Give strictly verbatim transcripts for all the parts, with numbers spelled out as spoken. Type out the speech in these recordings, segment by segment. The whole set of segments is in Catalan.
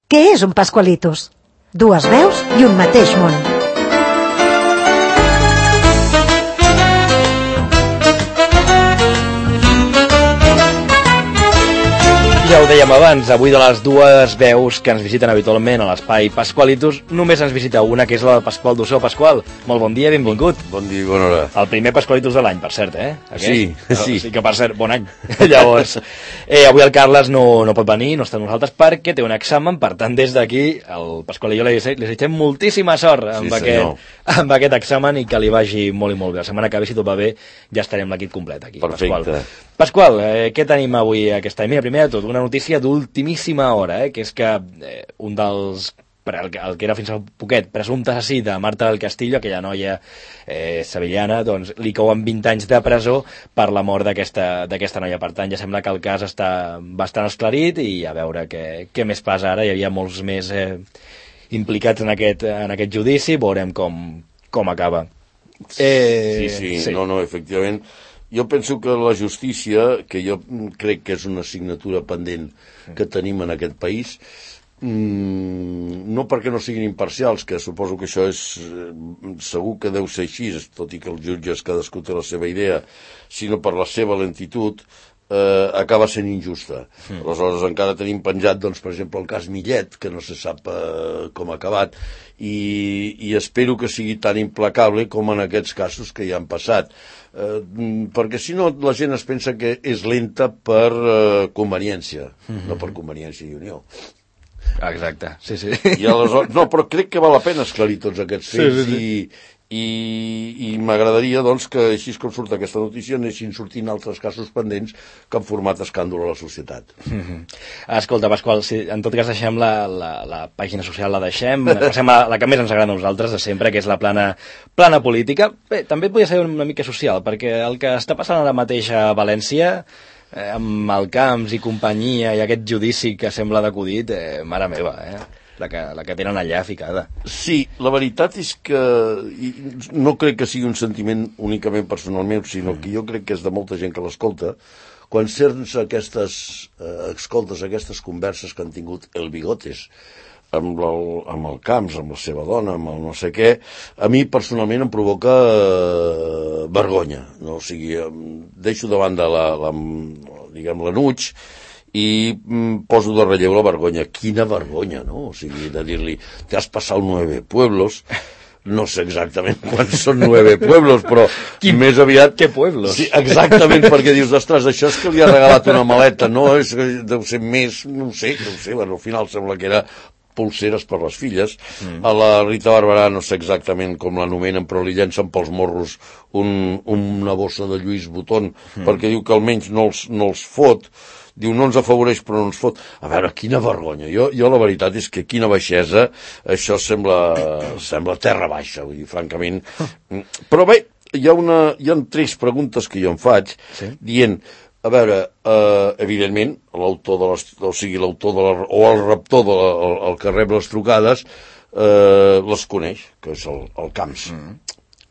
Què és un Pascualitos? Dues veus i un mateix món. Ja ho dèiem abans, avui de les dues veus que ens visiten habitualment a l'espai Pascualitos, només ens visita una, que és la de Pasqual Dussó. Pasqual, molt bon dia, benvingut. Bon dia i bona hora. El primer Pascualitos de l'any, per cert, eh? Aquest? Sí, sí. Sí, que per cert, bon any. Llavors, eh, avui el Carles no, no pot venir, no està amb nosaltres, perquè té un examen, per tant, des d'aquí, el Pasqual i jo li desitgem moltíssima sort amb, Sí, aquest, amb aquest examen i que li vagi molt i molt bé. La setmana que ve, si tot va bé, ja estarem l'equip complet aquí. Perfecte. Pasqual, Pasqual eh, què tenim avui aquest any? Mira, primer de tot, una notícia d'ultimíssima hora, eh, que és que eh, un dels, el, el que era fins a poquet, presumpte assassí de Marta del Castillo, aquella noia eh, sevillana, doncs li cauen vint anys de presó per la mort d'aquesta d'aquesta noia. Per tant, ja sembla que el cas està bastant esclarit i a veure què, què més passa ara. Hi havia molts més eh, implicats en aquest, en aquest judici, veurem com, com acaba. Eh, sí, sí, sí, no, no, efectivament. Jo penso que la justícia, que jo crec que és una assignatura pendent que tenim en aquest país, mmm, no perquè no siguin imparcials, que suposo que això és segur que deu ser així, tot i que els jutges cadascú té la seva idea, sinó per la seva lentitud, eh, acaba sent injusta. Mm. Aleshores encara tenim penjat, doncs, per exemple, el cas Millet, que no se sap eh, com ha acabat, i, i espero que sigui tan implacable com en aquests casos que ja han passat. Eh, perquè si no la gent es pensa que és lenta per eh, conveniència, mm-hmm. no per conveniència i unió. Exacte, sí, sí. I aleshores, no, però crec que val la pena esclarir tots aquests fets, sí, sí, sí. i, i, i m'agradaria doncs que així com surt aquesta notícia anessin sortint altres casos pendents que han format escàndol a la societat. Mm-hmm. Escolta, Pasqual, si en tot cas deixem la, la, la pàgina social, la deixem, passem a la que més ens agrada a nosaltres de sempre, que és la plana, plana política. Bé, també podria ser una mica social, perquè el que està passant ara mateix a València, eh, amb el Camps i companyia i aquest judici que sembla d'acudit, eh, mare meva, eh? La que, la que tenen allà ficada. Sí, la veritat és que no crec que sigui un sentiment únicament personal meu, sinó que jo crec que és de molta gent que l'escolta. Quan sents aquestes eh, escoltes, aquestes converses que han tingut el Bigotes amb el, amb el Camps, amb la seva dona, amb el no sé què, a mi personalment em provoca eh, vergonya. No? O sigui, deixo davant de la, la, diguem, l'anuig, i mm, poso de relleu la vergonya. Quina vergonya, no? O sigui, de dir-li, te has passat nueve pueblos, no sé exactament quants són nueve pueblos, però Quin, més aviat... Què pueblos? Sí, exactament, perquè dius, ostres, això és que li ha regalat una maleta, no? És que deu ser més, no ho sé, no ho sé, bueno, al final sembla que era pulseres per les filles. Mm. A la Rita Barberà no sé exactament com l'anomenen, però li llencen pels morros un, una bossa de Lluís Botón, mm. perquè diu que almenys no els, no els fot. Diu, no ens afavoreix però no ens fot. A veure, quina vergonya. Jo, jo la veritat és que quina baixesa, això sembla, sembla terra baixa, vull dir, francament. Però bé, hi ha, una, hi ha tres preguntes que jo em faig, sí? Dient, a veure, eh, evidentment, l'autor de les, o sigui, l'autor de la, o el raptor de la, el, el que rep les trucades, eh, les coneix, que és el, el Camps. Mm.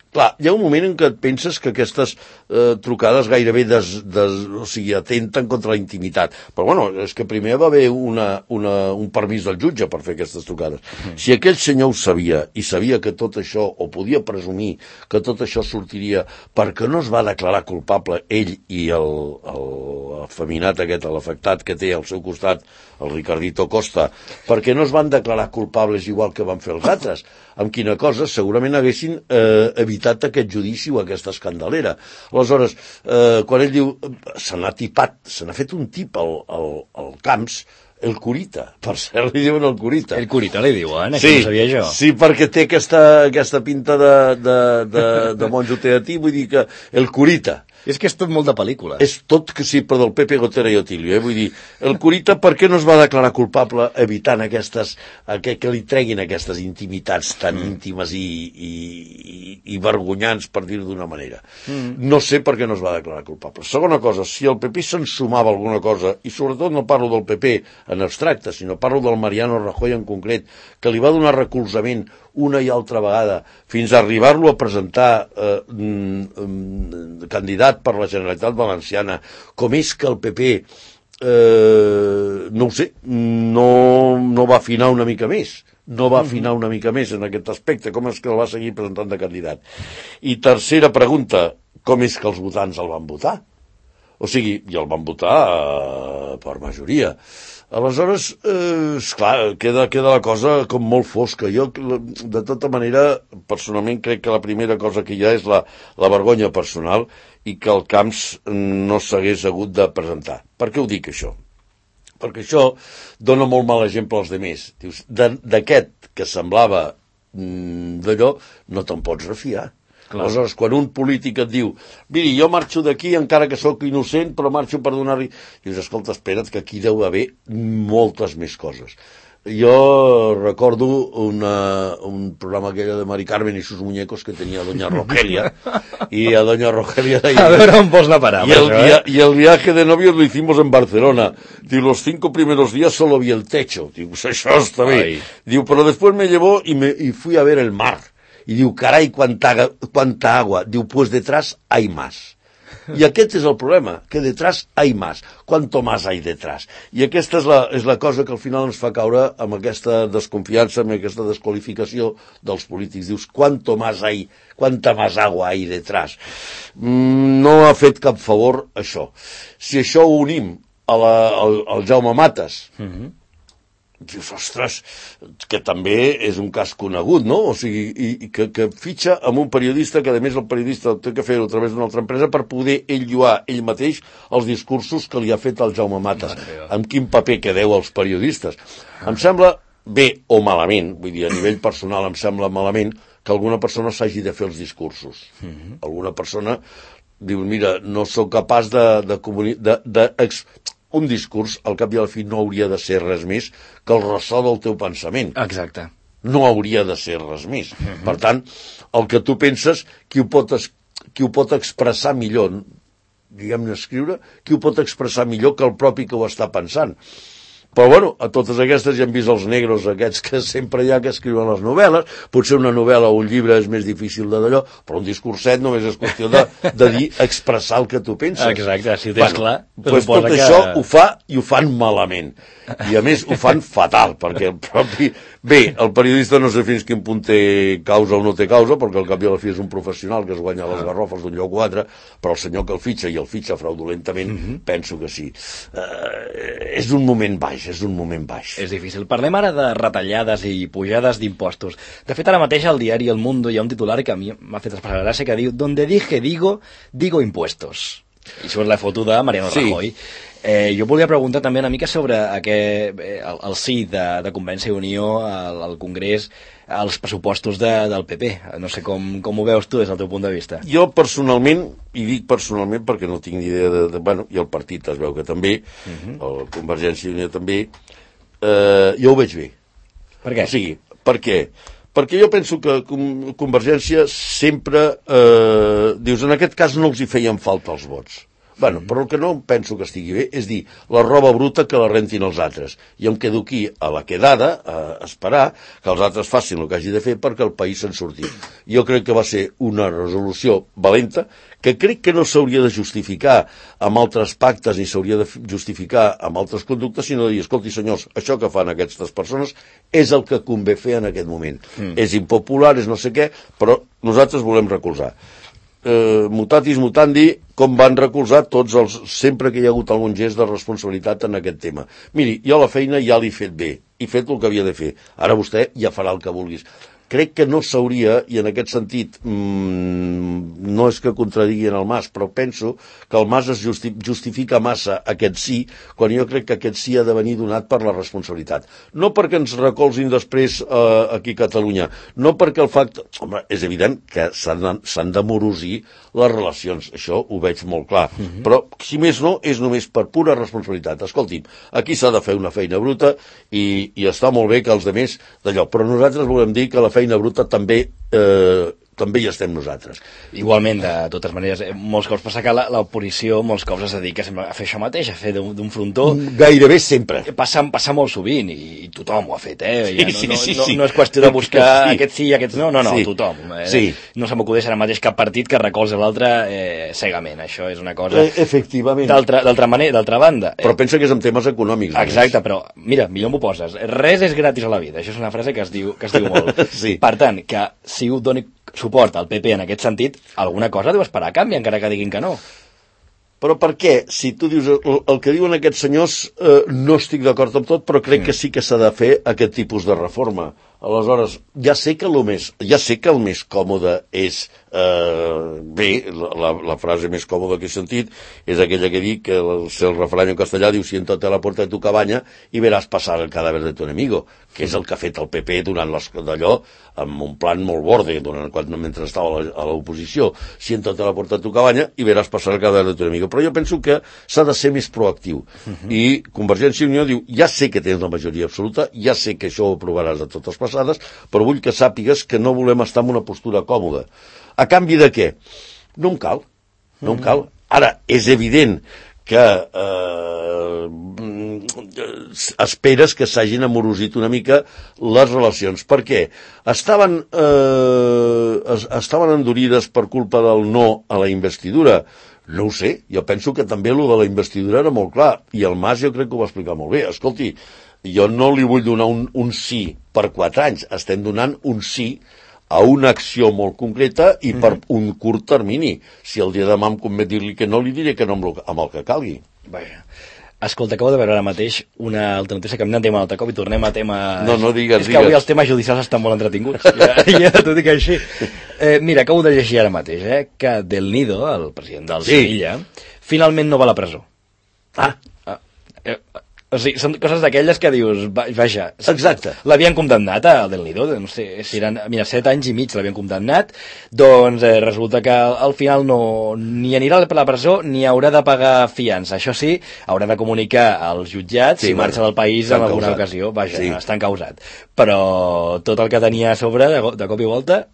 Clar, hi ha un moment en què et penses que aquestes eh, trucades gairebé des, des, o sigui, atenten contra la intimitat. Però bueno, és que primer va haver una, una, un permís del jutge per fer aquestes trucades. Mm. Si aquell senyor ho sabia, i sabia que tot això, o podia presumir que tot això sortiria perquè no es va declarar culpable ell i el, el afeminat aquest, l'afectat que té al seu costat, el Ricardito Costa, perquè no es van declarar culpables igual que van fer els altres, amb quina cosa segurament haguessin eh, evitat aquest judici o aquesta escandalera. Aleshores, eh, quan ell diu, se n'ha tipat, se n'ha fet un tip al, al, al Camps, el Curita, per cert li diuen el Curita. El Curita li diuen, eh? Sí, que no sabia jo. Sí, perquè té aquesta, aquesta pinta de, de, de, de monjo teatí, vull dir que el Curita. És que és tot molt de pel·lícula. És tot que sí, però del Pepe Gotera i Otilio, eh? Vull dir, el Curita per què no es va declarar culpable evitant aquestes, que, que li treguin aquestes intimitats tan mm. íntimes i, i, i, i vergonyants, per dir-ho d'una manera. Mm. No sé per què no es va declarar culpable. Segona cosa, si el P P se'n sumava alguna cosa, i sobretot no parlo del P P en abstracte, sinó parlo del Mariano Rajoy en concret, que li va donar recolzament una i altra vegada, fins a arribar-lo a presentar eh, mm, mm, candidat per la Generalitat Valenciana, com és que el P P eh, no ho sé, no, no va afinar una mica més. No va afinar una mica més en aquest aspecte. Com és que el va seguir presentant de candidat? I tercera pregunta, com és que els votants el van votar? O sigui, i el van votar eh, per majoria. Aleshores, eh, esclar, queda, queda la cosa com molt fosca. Jo, de tota manera, personalment crec que la primera cosa que hi ha és la, la vergonya personal i que el Camps no s'hagués hagut de presentar. Per què ho dic, això? Perquè això dona molt mal exemple als demés. Dius, d'aquest que semblava mm, d'allò, no te'n pots refiar. Clar. Aleshores, quan un polític et diu, miri, jo marxo d'aquí encara que sóc innocent, però marxo per donar-li... Dius, escolta, espera't, que aquí deu haver moltes més coses. Jo recordo una, un programa aquell de Mari Carmen i sus muñecos que tenia Doña Rogelia, i a Doña Rogelia deia... A veure on vols anar a parar. Y el, via, y el viaje de novios lo hicimos en Barcelona. Diu, los cinco primeros días solo vi el techo. Diu, pues això està bé. Ai. Diu, pero después me llevó y, me, y fui a ver el mar. Y diu, caray, cuánta, cuánta agua. Diu, pues detrás hay más. I aquest és el problema, que detrás hay más. Cuanto más hay detrás. I aquesta és la, és la cosa que al final ens fa caure amb aquesta desconfiança, amb aquesta desqualificació dels polítics. Dius, cuanto más hay, quanta más agua hay detrás. Mm, no ha fet cap favor això. Si això ho unim a la, al, al Jaume Matas, mm-hmm. dius, ostres, que també és un cas conegut, no? O sigui, i, i que, que fitxa amb un periodista que, a més, el periodista té que fer-ho a través d'una altra empresa per poder ell lluar ell mateix els discursos que li ha fet el Jaume Matas. Amb quin paper quedeu els periodistes? Em sembla bé o malament, vull dir, a nivell personal em sembla malament que alguna persona s'hagi de fer els discursos. Mm-hmm. Alguna persona diu, mira, no sóc capaç de... de, comuni- de, de ex- un discurs, al cap i al fi, no hauria de ser res més que el ressò del teu pensament. Exacte. No hauria de ser res més. Uh-huh. Per tant, el que tu penses, qui ho pot, es, qui ho pot expressar millor, diguem-ne escriure, qui ho pot expressar millor que el propi que ho està pensant. Però, bueno, a totes aquestes ja hem vist els negros aquests que sempre hi ha que escriuen les novel·les. Potser una novel·la o un llibre és més difícil de d'allò, però un discurset només és qüestió de, de dir, expressar el que tu penses. Exacte, si ho tens bueno, clar. Pues tot que... això ho fa i ho fan malament. I a més ho fan fatal, perquè el propi... Bé, el periodista no sé fins quin punt té causa o no té causa, perquè al cap i a la fi és un professional que es guanya les garrofes d'un lloc o altre, però el senyor que el fitxa i el fitxa fraudulentament, mm-hmm. penso que sí. Uh, és un moment baix, és un moment baix. És difícil. Parlem ara de retallades i pujades d'impostos. De fet, ara mateix al diari El Mundo hi ha un titular que a mi m'ha fet especial gràcia, que diu «Donde dije digo, digo impuestos». I surt la foto de Mariano sí. Rajoy. Eh, jo volia preguntar també una mica sobre aquest, eh, el, el sí de, de Convergència i Unió al, al Congrés, als pressupostos de, del P P. No sé com, com ho veus tu des del teu punt de vista. Jo personalment, i dic personalment perquè no tinc ni idea de... de bueno, i el partit es veu que també, uh-huh. el Convergència i Unió també, eh, jo ho veig bé. Per què? O sigui, per què? Perquè jo penso que Convergència sempre, eh, dius, en aquest cas no els hi feien falta els vots. Bueno, però el que no penso que estigui bé és dir la roba bruta que la rentin els altres. I em quedo aquí a la quedada, a esperar que els altres facin el que hagi de fer perquè el país se'n surti. Jo crec que va ser una resolució valenta, que crec que no s'hauria de justificar amb altres pactes ni s'hauria de justificar amb altres conductes, sinó de dir, escolti senyors, això que fan aquestes persones és el que convé fer en aquest moment. Mm. És impopular, és no sé què, però nosaltres volem recolzar. Eh, mutatis mutandi, com van recolzar tots els... sempre que hi ha hagut algun gest de responsabilitat en aquest tema. Miri, jo la feina ja l'he fet bé, he fet el que havia de fer. Ara vostè ja farà el que vulguis. Crec que no s'hauria, i en aquest sentit mmm, no és que contradiguin el Mas, però penso que el Mas es justi justifica massa aquest sí, quan jo crec que aquest sí ha de venir donat per la responsabilitat. No perquè ens recolzin després eh, aquí a Catalunya, no perquè el fact... Home, és evident que s'han de morosir les relacions, això ho veig molt clar, uh-huh. però si més no, és només per pura responsabilitat. Escolti'm, aquí s'ha de fer una feina bruta i, i està molt bé que els altres d'allò, però nosaltres volem dir que la feina bruta també eh, també hi estem nosaltres. Igualment, de totes maneres, molts cops passa que l'oposició molts cops es dedica a fer això mateix, a fer d'un frontó. Gairebé sempre. Passa, passa molt sovint, i, i tothom ho ha fet, eh? Ja no, sí, no, sí, no, sí. no és qüestió de buscar sí. aquests sí i aquests no, no, no, sí. tothom. Eh? Sí. No se m'acudeix ara mateix cap partit que recolza l'altre eh, cegament, això és una cosa... Eh, efectivament. D'altra manera, d'altra banda. Però pensa que és en temes econòmics. Exacte, però mira, millor m'ho poses. Res és gratis a la vida, això és una frase que es diu, que es diu molt. Sí. Per tant, que si ho doni suport al P P en aquest sentit, alguna cosa deu esperar a canvi, encara que diguin que no. Però per què? Si tu dius el, el que diuen aquests senyors, eh, no estic d'acord amb tot, però crec mm. que sí que s'ha de fer aquest tipus de reforma. Aleshores, ja sé que el més, ja sé que el més còmode és, eh, bé, la, la frase més còmoda que he sentit és aquella que dic, que el, el refrany en castellà diu siéntate a la puerta de tu cabaña y verás pasar el cadáver de tu enemigo, que és el que ha fet el P P durant d'allò, amb un plan molt borde, durant, quan, mentre estava a l'oposició. Siéntate a la puerta de tu cabaña y verás pasar el cadáver de tu enemigo. Però jo penso que s'ha de ser més proactiu. Uh-huh. I Convergència i Unió diu, ja sé que tens la majoria absoluta, ja sé que això ho aprovaràs de totes passades, però vull que sàpigues que no volem estar en una postura còmoda. A canvi de què? No em cal. No em cal. Ara, és evident que eh, esperes que s'hagin amorosit una mica les relacions. Per què? Estaven, eh, estaven endurides per culpa del no a la investidura. No ho sé, jo penso que també el de la investidura era molt clar, i el Mas jo crec que ho va explicar molt bé. Escolti, jo no li vull donar un, un sí per quatre anys, estem donant un sí a una acció molt concreta i per mm-hmm. un curt termini. Si el dia de demà em convé dir-li que no, li diré que no amb el, amb el que calgui. Vaja. Escolta, acabo de veure ara mateix una altra notícia, canviant tema altre cop i tornem a temes... No, no digues, És que digues. avui els temes judicials estan molt entretinguts, ja, ja t'ho dic així. Eh, mira, acabo de llegir ara mateix, eh, que Del Nido, el president del sí. Sevilla, finalment no va a la presó. Ah. ah eh, o sigui, són coses d'aquelles que dius, vaja... Exacte. L'havien condemnat a Del Nido, no sé, si eren, mira, set anys i mig l'havien condemnat, doncs eh, resulta que al final no ni anirà a la presó ni haurà de pagar fiança. Això sí, haurà de comunicar als jutjats sí, si marxa del país en alguna causat. ocasió. Vaja, sí. està encausat. Però tot el que tenia a sobre, de, de cop i volta,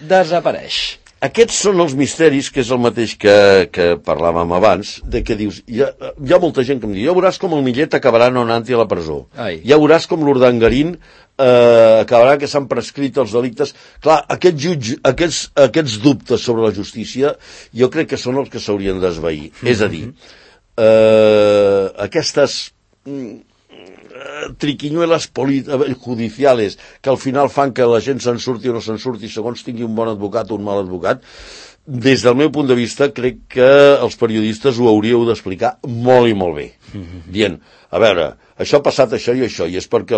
desapareix. Aquests són els misteris, que és el mateix que, que parlàvem abans, de que dius, hi ha, hi ha molta gent que em diu, ja veuràs com el Millet acabarà no anant-hi a la presó. Ai. Ja veuràs com l'Urdangarín eh, acabarà que s'han prescrit els delictes. Clar, aquest jutge, aquests, aquests dubtes sobre la justícia jo crec que són els que s'haurien d'esvair. Mm-hmm. És a dir, eh, aquestes... triquiñuelas judiciales que al final fan que la gent se'n surti o no se'n surti segons tingui un bon advocat o un mal advocat, des del meu punt de vista crec que els periodistes ho hauríeu d'explicar molt i molt bé, dient, a veure, això ha passat això i això, i és perquè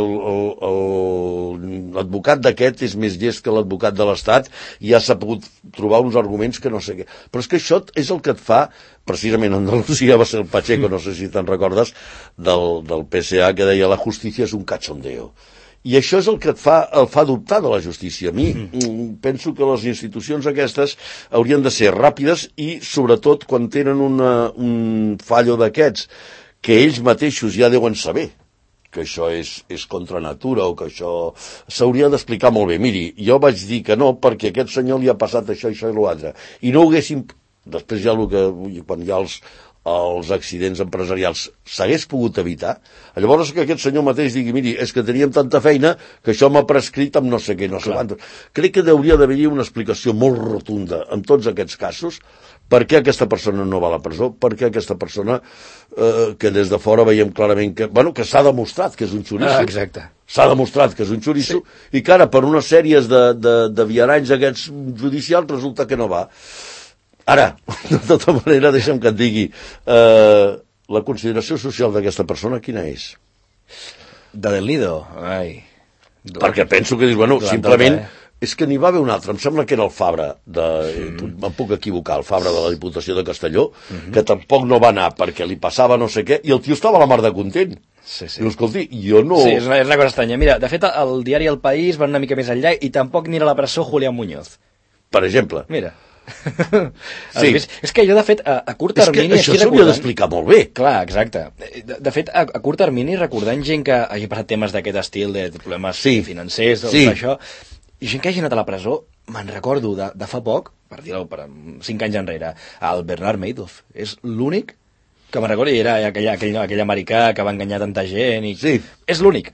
l'advocat d'aquest és més llest que l'advocat de l'Estat i ja s'ha pogut trobar uns arguments que no sé què. Però és que això és el que et fa, precisament a Andalusia va ser el Pacheco, no sé si te'n recordes, del, del P S A, que deia la justícia és un cachondeo. I això és el que et fa, el fa dubtar de la justícia. A mi mm. penso que les institucions aquestes haurien de ser ràpides i, sobretot, quan tenen una, un fallo d'aquests, que ells mateixos ja deuen saber que això és, és contra natura o que això s'hauria d'explicar molt bé. Miri, jo vaig dir que no perquè a aquest senyor li ha passat això, això i l'altre. I no ho haguéssim... Després ja el que... quan hi ha els, els accidents empresarials s'hagués pogut evitar, llavors que aquest senyor mateix digui, miri, és que teníem tanta feina que això m'ha prescrit amb no sé què, no sé quant. Crec que hauria d'haver-hi una explicació molt rotunda en tots aquests casos, per què aquesta persona no va a la presó, per què aquesta persona, eh, que des de fora veiem clarament que, bueno, que s'ha demostrat que és un xoriço. Ah, exacte. S'ha demostrat que és un xoriço, sí. I que ara, per unes sèries de, de, de viaranys aquests judicials, resulta que no va. Ara, de tota manera, deixa'm que et digui, eh, la consideració social d'aquesta persona, quina és? De Del Nido? Ai. Perquè penso que dius, bueno, simplement... Eh? És que n'hi va haver un altre, em sembla que era el Fabra, de, mm. em puc equivocar, el Fabra de la Diputació de Castelló, mm-hmm. que tampoc no va anar perquè li passava no sé què, i el tio estava a la mar de content. Sí, sí. Diu, escolti, jo no... Sí, és una, és una cosa estranya. Mira, de fet, el diari El País va una mica més enllà i tampoc anirà a la presó Julián Muñoz. Per exemple. Mira. Sí. És, és que jo, de fet, a, a curt termini... És que això s'hauria d'explicar molt bé. Clar, exacte. De, de fet, a, a curt termini, recordant gent que hagi passat temes d'aquest estil, de problemes sí. financers, o sí. això... I gent que hagi anat a la presó, me'n recordo de, de fa poc, per dir-ho, per cinc anys enrere, el Bernard Madoff. És l'únic que me'n recordo, i era aquell, aquell, aquell americà que va enganyar tanta gent. I... Sí. És l'únic.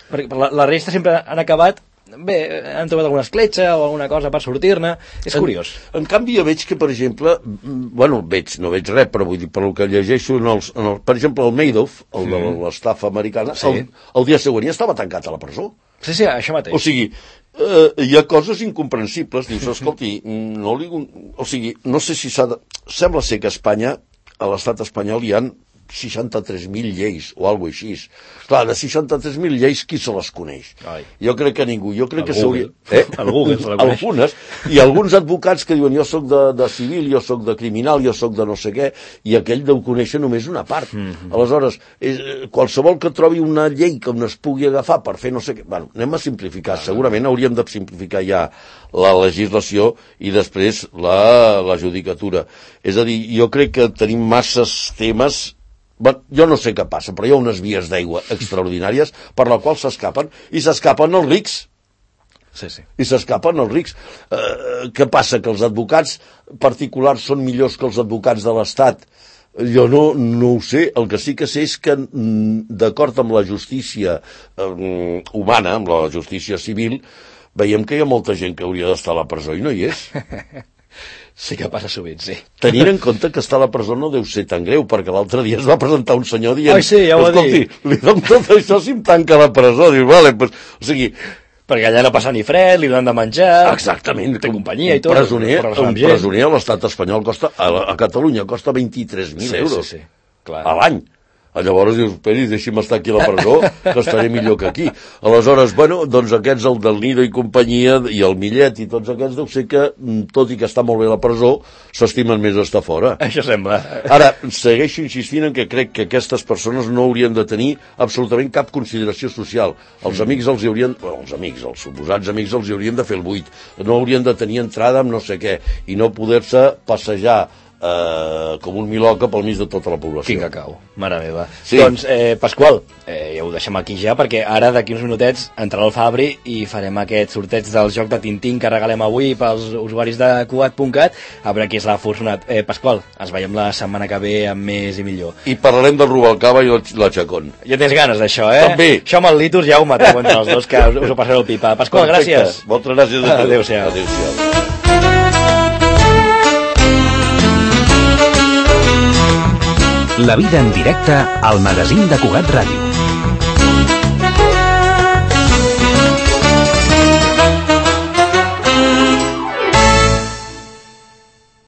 Perquè la, la resta sempre han acabat... Bé, han trobat alguna escletxa o alguna cosa per sortir-ne. És en, curiós. En canvi, jo veig que, per exemple, bueno, veig, no veig res, però vull dir, per el que llegeixo, en els, en el, per exemple, el Madoff, el de l'estafa americana, sí. el, el dia següent ja estava tancat a la presó. Sí, sí, això mateix. O sigui, eh, hi ha coses incomprensibles. Dius, escolti, no li... O sigui, no sé si s'ha de... Sembla ser que a Espanya, a l'estat espanyol, hi ha seixanta-tres mil lleis, o alguna cosa així. Clar, de seixanta-tres mil lleis, qui se les coneix? Ai. Jo crec que ningú. Jo crec el que s'hauria... Eh? El Google se la coneix. Algunes. I alguns advocats que diuen, jo sóc de, de civil, jo sóc de criminal, jo sóc de no sé què, i aquell deu conèixer només una part. Mm-hmm. Aleshores, és, qualsevol que trobi una llei que on es pugui agafar per fer no sé què... Bueno, anem a simplificar. Ah, segurament hauríem de simplificar ja la legislació i després la, la judicatura. És a dir, jo crec que tenim masses temes. Bueno, jo no sé què passa, però hi ha unes vies d'aigua extraordinàries per la qual s'escapen, i s'escapen els rics. Sí, sí. I s'escapen els rics. Eh, què passa? Que els advocats particulars són millors que els advocats de l'Estat? Jo no, no ho sé. El que sí que sé és que, d'acord amb la justícia eh, humana, amb la justícia civil, veiem que hi ha molta gent que hauria d'estar a la presó i no hi és. Sí que passa sovint, sí. Tenint en compte que estar a la presó no deu ser tan greu, perquè l'altre dia es va presentar un senyor dient... Ai, sí, ja ho va dir. Li dono tot això si em tanca a la presó. Dius, vale, pues, o sigui... Perquè allà no passa ni fred, li donen de menjar... Exactament. Té companyia i tot. Presoner, un presoner a l'estat espanyol costa... A, a Catalunya costa vint-i-tres mil sí, euros. Sí, sí, clar. A l'any. Llavors dius, esperi, deixi'm estar aquí a la presó, que estaré millor que aquí. Aleshores, bueno, doncs aquests, el del Nido i companyia, i el Millet i tots aquests, deu ser que, tot i que està molt bé la presó, s'estimen més estar fora. Això sembla. Ara, segueixo insistint en que crec que aquestes persones no haurien de tenir absolutament cap consideració social. Els amics els hi haurien... Bueno, els amics, els suposats amics els hi haurien de fer el buit. No haurien de tenir entrada amb no sé què, i no poder-se passejar Uh, com un miloca pel mig de tota la població. Quin cacau, mare meva. Sí. Doncs, eh, Pasqual, eh, ja ho deixem aquí ja, perquè ara d'aquí uns minutets entrarà el Fabri i farem aquest sorteig del joc de Tintín que regalem avui pels usuaris de Cugat punt cat, a veure qui és l'afortunat. Eh, Pasqual, ens veiem la setmana que ve amb més i millor. I parlarem del Rubalcaba i la Chacón. Ja tens ganes d'això, eh? També. Això amb el Litus ja ho mateu entre els dos, que us, us ho passareu el pipa. Pasqual, perfecte. Gràcies. Moltes gràcies a tu. Adéu-siau. Adéu-siau. La vida en directe al magazín de Cugat Ràdio.